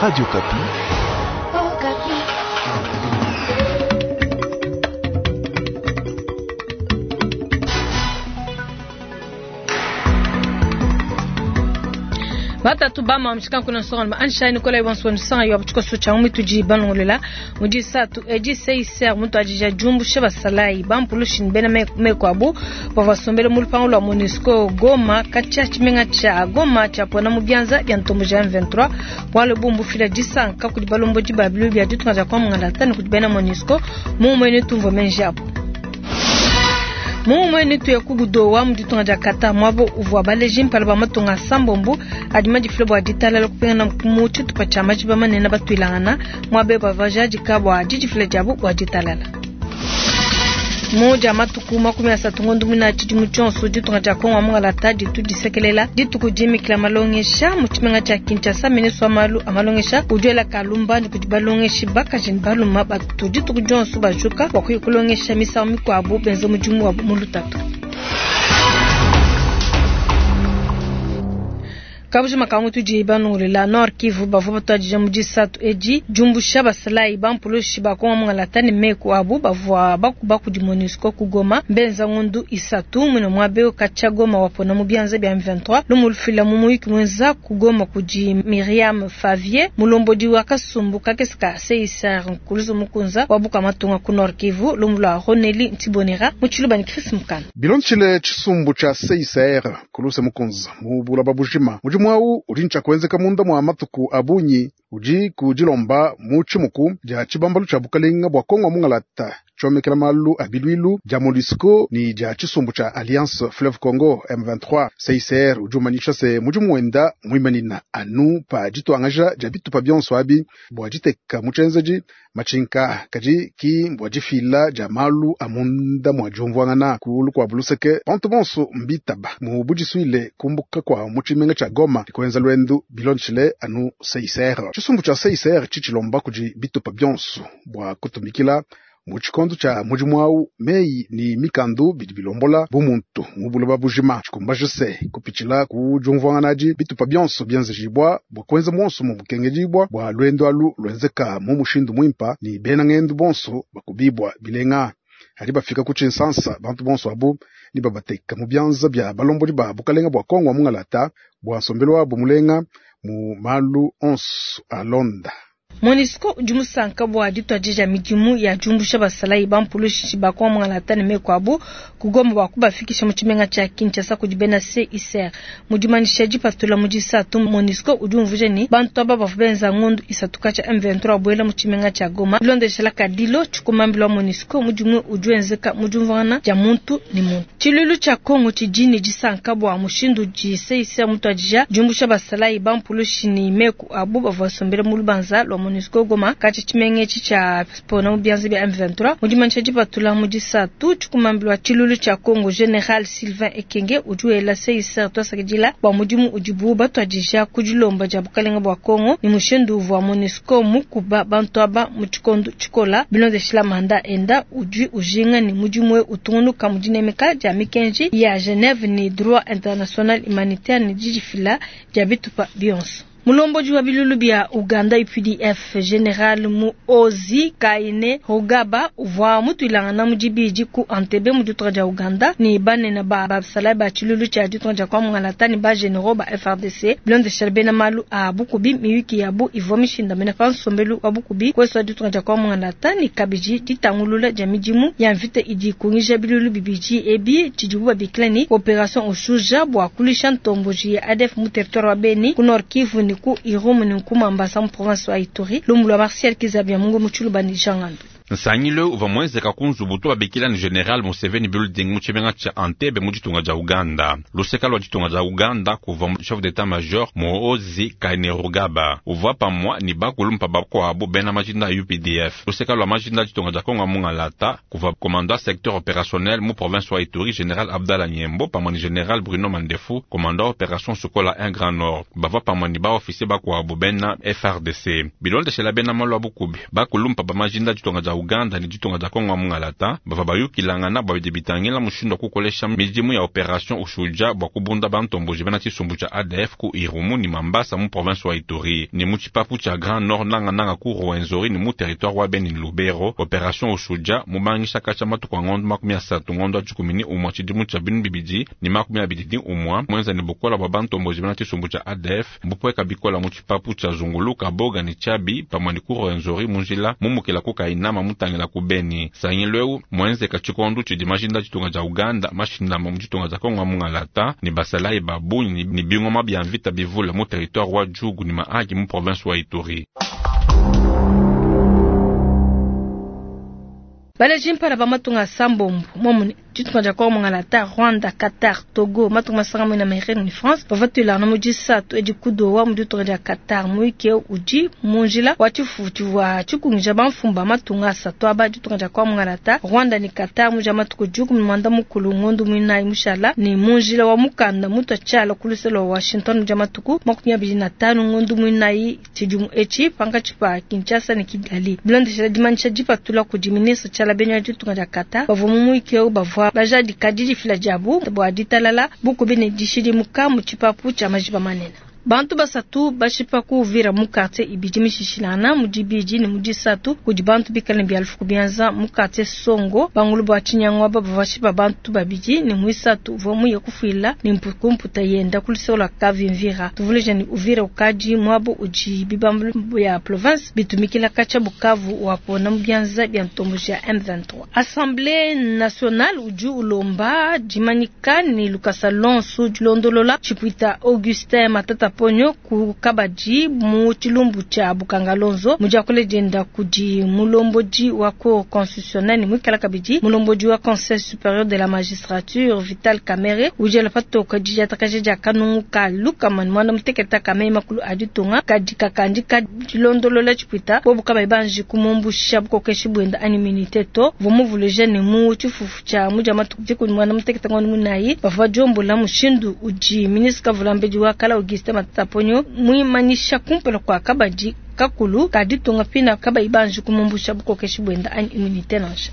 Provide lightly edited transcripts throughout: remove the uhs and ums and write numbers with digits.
Radio Okapi. Batatu bama mshika kuna nsonga ma ansha ni kola ibonso nsonga yo bchiko cha mutudi balongolela mudi satu eji CICR mutu ajija jumbushe basalayi bampulushi bena meko abu bavasombele mu lupango lwa MONUSCO Goma kacha chimenga cha Goma cha pona mu byanza bya ntombo ja M23 wale bumbu fila disanka kudi balomboji ba bilu bya ditunga ja kwa mungala tani kudi bena MONUSCO mu mwene tumvo menjabo mumwe ni tuya kubudowa mu ditunga dia kata mwabo uvua baleji mpala ba matunga sambombo adi madifile bua ditalala kupingana mu tshitupa tshia majiba manene batuilangana muaba bavua jadika bua didifila diabu bua ditalala. Mu dia matuku 30 ngondo mwina tshidimu tshionso ditunga dia Kongo mungalata ditu disekelela dituku dimikila malongesha mu tshimenga tshia Kinshasa. Ministre wa malu a malongesha udi kalumba ndi kudi balongeshi bakaji ne baluma batu dituku dionso bajuka bua kuya kulongesha misangu mikuabu benza mudimu wabu mu lutatu. Kabujima ka mutu banungulela Nord Kivu bavua batuadija mu disatu edi jumbusha basalayi bampulushi ba Kongo mungalata ne meku abu bavua bakuba kudi MONUSCO ku Goma mbenza ngundu isatu mwine mwabe kacha Goma wapona mu byanza bya M23 lumulufila mu muyiki mwenza ku Goma kudi Miriam Favier mulombodi wa kasumbu kakese ka CICR nkuluzo mukunza wabuka matunga ku Nord Kivu lumulwa Roneli Ntibonera mu tshiluba ni Chris Mukana. Bilonchile tshisumbu tsha CICR kuluse mukunza mu bulaba bujima mudimu awu udi ntsha munda mwa matuku abunyi udi kudilomba mu tshimuku dia tshibambalu tshia bukalenga bua Kongo mungalata tshomekela malu a bilwilu dia MONUSCO ni dia tshisumbu tshia Alliance Fleuve Congo M23. CICR udi umanyisha se mudimu wenda muimanina anu pa dituangaja dia bitupa bionso abi bua diteka mu tshienzedi matshinka kadi ki bua difila dia malu a munda mua diumvuangana ku lukuabu luseke bantu bonso mbitaba mu budisuile kumbuka kwa mu tshimenga tshia Goma dikuenza lwendu bilonshile anu CICR. Tshisumbu tshia CICR tshitshilomba kudi bitupa bionso bua kutumikila mu tshikondo tshia mudimu awu meyi ni mikandu bidi bilombola bumuntu mu buloba bujima tshikumbaje se kupitshila ku diumvuanganadi bitupa bionso bienzejibua bua kuenza monso mu bukengedibua bua lwendo alu lwenzeka mu mushindu muimpa ni bena ngendu bonso bakubibwa bilenga. Hadi bafika ku tshinsansa bantu bonso abu ni babateka mu byanza bya balombodi ba bukalenga bua Kongo wa mungalata bua nsombelo wabo mulenga mu malu onso alonda. MONUSCO udi musanka bua dituadija midimu ya jumbusha basalayi bampulushi ba Kongo mungalata ne meku abu ku Goma bua kubafikisha mu tshimenga tshia Kinshasa kudi bena CICR. Mu dimanyisha dipatula mu disatu MONUSCO udi umvuija ne bantu aba bavua benza ngondu isatu katshia M23 buela mu tshimenga tshia Goma. Bilondeshela kadilo tshikumambila wa MONUSCO mudimu udi wenzeka mu diumvuangana dia muntu ne muntu. Tshiluilu tshia Kongo tshidi ne disanka bua mushindu udi CICR mutuadija diumbusha basalayi bampulushi ne meku abu bavua basombele mu lubanza lwa MONUSCO Goma katshi tshimenga etshi tshia pona mu byanza bya M23. Mu dimanyisha dipatula mu disatu tshikumambila tshiluilu tshia Kongo General Sylvain Ekenge udi wela CICR twasakidila bua mudimu udibu batuadija ku dilomba dia bukalenga bua Kongo ni mushindu uvua MONUSCO mukuba bantu aba mu tshikondo tshikola bilondeshila manda enda udi ujinga ni mudimu utungunuka mu dinemeka dia mikenji ya Genève ni droit international humanitaire ni didifila dia bitupa bionso. Mulomboji wa bilulu bya Uganda UPDF General Muhoozi Kainerugaba uvua mutuilangana mu dibidi ku Entebbe mu ditunga dia Uganda ni banene ba basalayi ba tshilulu tshia ditunga dia kwa mungalata ni ba generaux ba FARDC bilondeshela bena malu a bukubi miyuki yabu ivua mishindamene pa nsombelu wa bukubi kweso wa ditunga dia kwa mungalata ni kabidi ditangulula dia midimu ya mvita idi ikungija bilulu bibidi ebi tshidibu babikila ni Operation Ushuja bua kulisha ntomboji ya ADF mu territoire wa Beni ku Nord Kivu ni ku Irumu ni ku Mambasa mu province wa Ituri. Lumu lwa Martial Kizabia Mungu mu Tshiluba ni Jean Ngandu. Nsangilo uvua muenzeka ku nzubu to babikila ni General Museveni building mu tshimenga tshia Entebbe mu ditunga dia Uganda. Luseka lua ditunga dia Uganda kuvua chef d'état-major Muhoozi Kainerugaba uvua pamua ni bakulumpa bakuabu bena majinda ya UPDF. Luseka lua majinda ditunga dia Kongo mungalata kuvua commandant secteur opérationnel mu province wa Ituri General Abdallah Nyembo pamua ni General Bruno Mandefu commandant opération Sukola 1 Grand Nord bavua pamua ni ba officier bakuabu bena FARDC. Bilondeshela bena malu a bukubi bakulumpa ba majinda ditunga dia Uganda ne ditunga dia Kongo wa mungalata bavua bayukilangana bua bidi bitangila mushindu wa kukolesha midimu ya operation Ushuja bua kubunda bantomboji bena tshisumbu tshia ADF ku Irumu ne Mambasa mu province wa Ituri ne mu tshipapu tshia Grand Nord nangananga ku Rwenzori ne mu territoire wa Beni ne Lubero. Operation Ushuja mubangisha katshia matuku a ngondo 30 ngondo wa 11 tshidimu tshia 2021 muenza ne bukola bua bantomboji bena tshisumbu tshia ADF mbupueka bikola mu tshipapu tshia Zunguluka Boga ne Tshiabi pamue ne ku Rwenzori mu njila mumukila ku Kainama mutangila ku Beni. Nsangilu eu muenzeka tshikondu tshidi majinda ditunga dia Uganda mashindama mu ditunga dia Kongo wa mungalata ne basalayi ba bungi ne bingoma bia mvita bivule mu territoire wa Djugu ne Mahagi mu province wa Ituri. Baleji mpala ba matunga asambombo momune ditunga dia Kongo mungalata, Rwanda, Qatar, Togo, matunga masanga muena Amerika ne France bavua tuilangana mu disatu edi ku Doha mu ditunga dia Qatar. Muyuki eu udi mu njila wa tshifufu tshivua tshikungija bamfumu ba matunga asatu aba, ditunga dia Kongo mungalata, Rwanda ne Qatar mu dia matuku 19 ngondo muinayi mushala ne mu njila wa mukanda mutua tshiala ku luse lua Washington mu dia matuku 25 ngondo muinayi tshidimu etshi pankatshi pa Kinshasa ne Kigali. Bilondeshela dimanyisha dipatula kudi ministre Tshiala Benya wa ditunga dia Qatar, bavua mu muyuki eu bavua bajadika didifila diabu bua ditalala, bukubi ne dishidimuka mu tshipapu tshia majiba manene. Bantu basatu bashipa ku Uvira mu quartier ibidi mishishilangana mu dibidi ne mu disatu kudi bantu bikale ne bialufu bianza mu quartier Songo bangulu bua tshinyangu aba bavua bashipa bantu babidi ne muisatu uvua muye kufuila ne mputa yenda ku luseke lua Kavimvira. Tuvuluije ne Uvira ukadi muabu udi bibambalu bia province bitumikila katshia Bukavu wapona mu bianza bia ntomboji ya M23. Assemblée nationale udi ulomba dimanyika ne lukasa lonso dilondolola tshipuita Augustin Matata Ponyo ku kabadi mu tshilumbu tshia Bukangalonzo mu diakula dienda kudi mulombodi wa cour constitutionnelle ne muikala kabidi mulombodi wa conseil supérieur de la magistrature Vital Kamerhe udi ela patoka didiatakaja dia kanungu ka lukama ne muanda mutekete ka meyi makulu a ditunga kadi kakandika dilondolola tshipuita bobu kabayi banji kumumbusha bukokeshi buenda anyi immunité to. Uvua muvuluije ne mu tshifufu tshia mu dia matuku 19 ngondo muinayi bavua diombola mushindu udi ministre kavulambedi wa kala Augustin Matata Ponyo muimanyisha kumpala kua kabadi kakulu ka ditunga pina kabayi banji kumumbusha bukokeshi buenda anyi immunité nansha.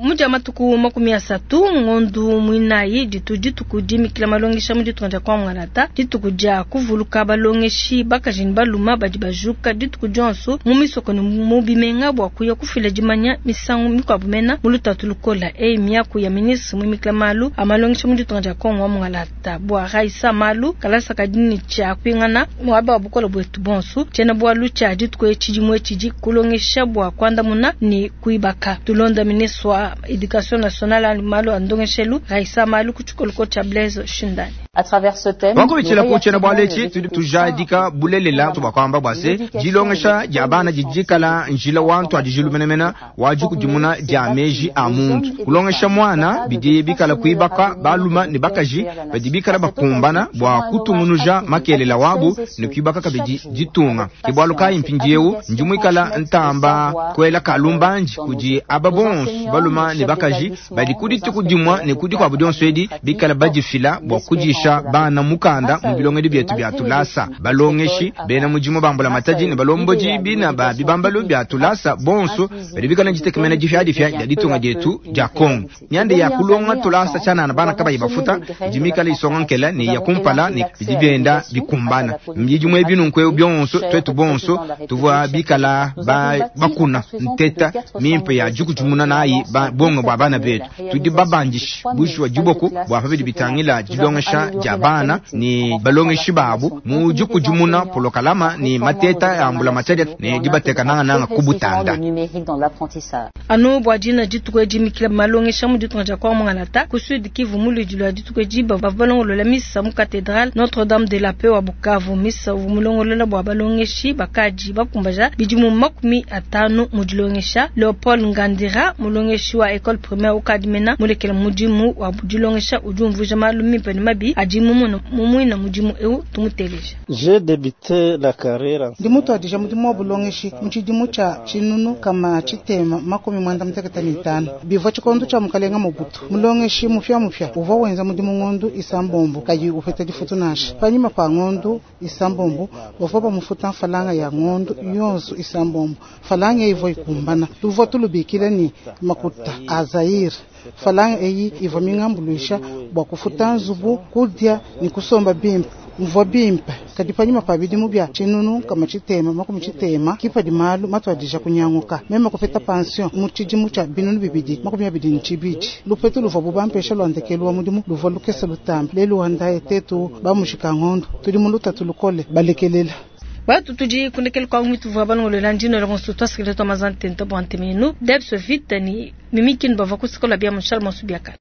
Mu dia matuku 30 ngondo muinayi ditu dituku dimikila malongesha mu ditunga dia Kongo Ngalata, dituku dia kuvuluka balongeshi bakaji ne baluma badi bajuka dituku dionso mu misoko ne mu bimenga bua kuya kufila dimanya misangu mikuabu mena mu lutatu lukola. Eyi miaku ya ministre muimikila malu a malongesha mu ditunga dia Kongo wa Ngalata bua Raissa Malu kalasa kadi ne tshia kupingana muaba wa bukola buetu bonso. Tshiena bualu tshia dituku etshi dimue tshidi kulongesha bua kuandamuna ne kuibaka. Tulonda ministre wa Education nationale anyi malu a ndongeshelu Raissa Malu ku tshikoloko tshia Blaise Shindani. Wakubitshila ku tshiena-bualu etshi tudi tujadika bulelela bua kuamba bua se dilongesha dia bana didi dikala njila wa ntuadijilu menemene wa dikudimuna dia meji a muntu. Kulongesha muana bidi bikala kuibaka baluma ne bakaji badi bikala bakumbana bua kutungunuja makelela wabu ne kuibaka kabidi ditunga. Ke bualu kayi mpindieu ndi muikala ntamba kuela kalumbandi kudi aba bonso baluma ne bakaji badi ku dituku dimue ne ku dikuabu dionso edi bikala badifila bua kudisha bana mukanda mu bilongedi bietu bia tulasa. Balongeshi bena mudimu ba mbulamatadi ne balombodi bina ba bibambalu bia tulasa bonso badi bikala ditekemena dipiadipia dia ditunga dietu dia Kongo. Mianda ya kulonga tulasa tshianana bana kabayi bafuta idi mikala isonga nkela ne ya kumpala ne bidi bienda bikumbana. Bidimu ebi nunku bionso tuetu bonso tuvua bikala bakuna nteta mimpe ya dikudimuna nayi bongo bua bana betu. Tudi babandishe bushuwa diboko bua pa bidi bitangila dilongesha dia bana ne balongeshi babu mu dikudimuna polokalama ne mateta ya mbulamatadi ne dibateka nangananga ku butanda. Anu bua dina dituku edi mikila malongesha mu ditunga dia Kongo Ngalata ku Sud Kivu mu ludi lua dituku edi bavua balongolola misa mu cathédrale Notre-Dame de la Paix wa Bukavu. Misa uvua mulongolola bua balongeshi bakadi bakumbaja bidimu 50 mu dilongesha. Leopold Ngandira mulongeshi wa école primaire ukadi mena mulekela mudimu wa dilongesha udi umvuija malu mimpe ne mabi adi mumone mu muina mudimu eu. Tumuteleje. Ndi mutuadija mudimu wa bulongeshi mu tshidimu tshia 1685. Bivua tshikondo tshia mukalenga Mobutu. Mulongeshi mupiamupia uvua wenza mudimu ngondu isambombo kayi upeta difutu nansha. Panyima pa ngondu isambombo bavua bamufuta mfalanga ya ngondu yonso isambombo. Falanga ivua ikumbana. Tuvua tulubikila ne makuta a Zaire. Falanga eyi ivua mingambuluisha bua kufuta nzubu, kudia ne kusomba bimpe. Mvua bimpe kadi panyima pa bidimu bia 1660 kipadi malu matuadija kunyanguka. Meme kupeta pension mu tshidimu tshia 2022. Lupetu luvua bubampesha lwa ndekelu wa mudimu luvua lukese lutambe. Lelu wa ndaye tetu bamushika ngondo tudi mu lutatu lukole balekelela. Batu tudi kundekelu kwa mitu vua balongolola ndino lonso twasikile twa mazantento bwa ntemenu debs vita ni mimikini bavua kusikola bia mushal masu biakala.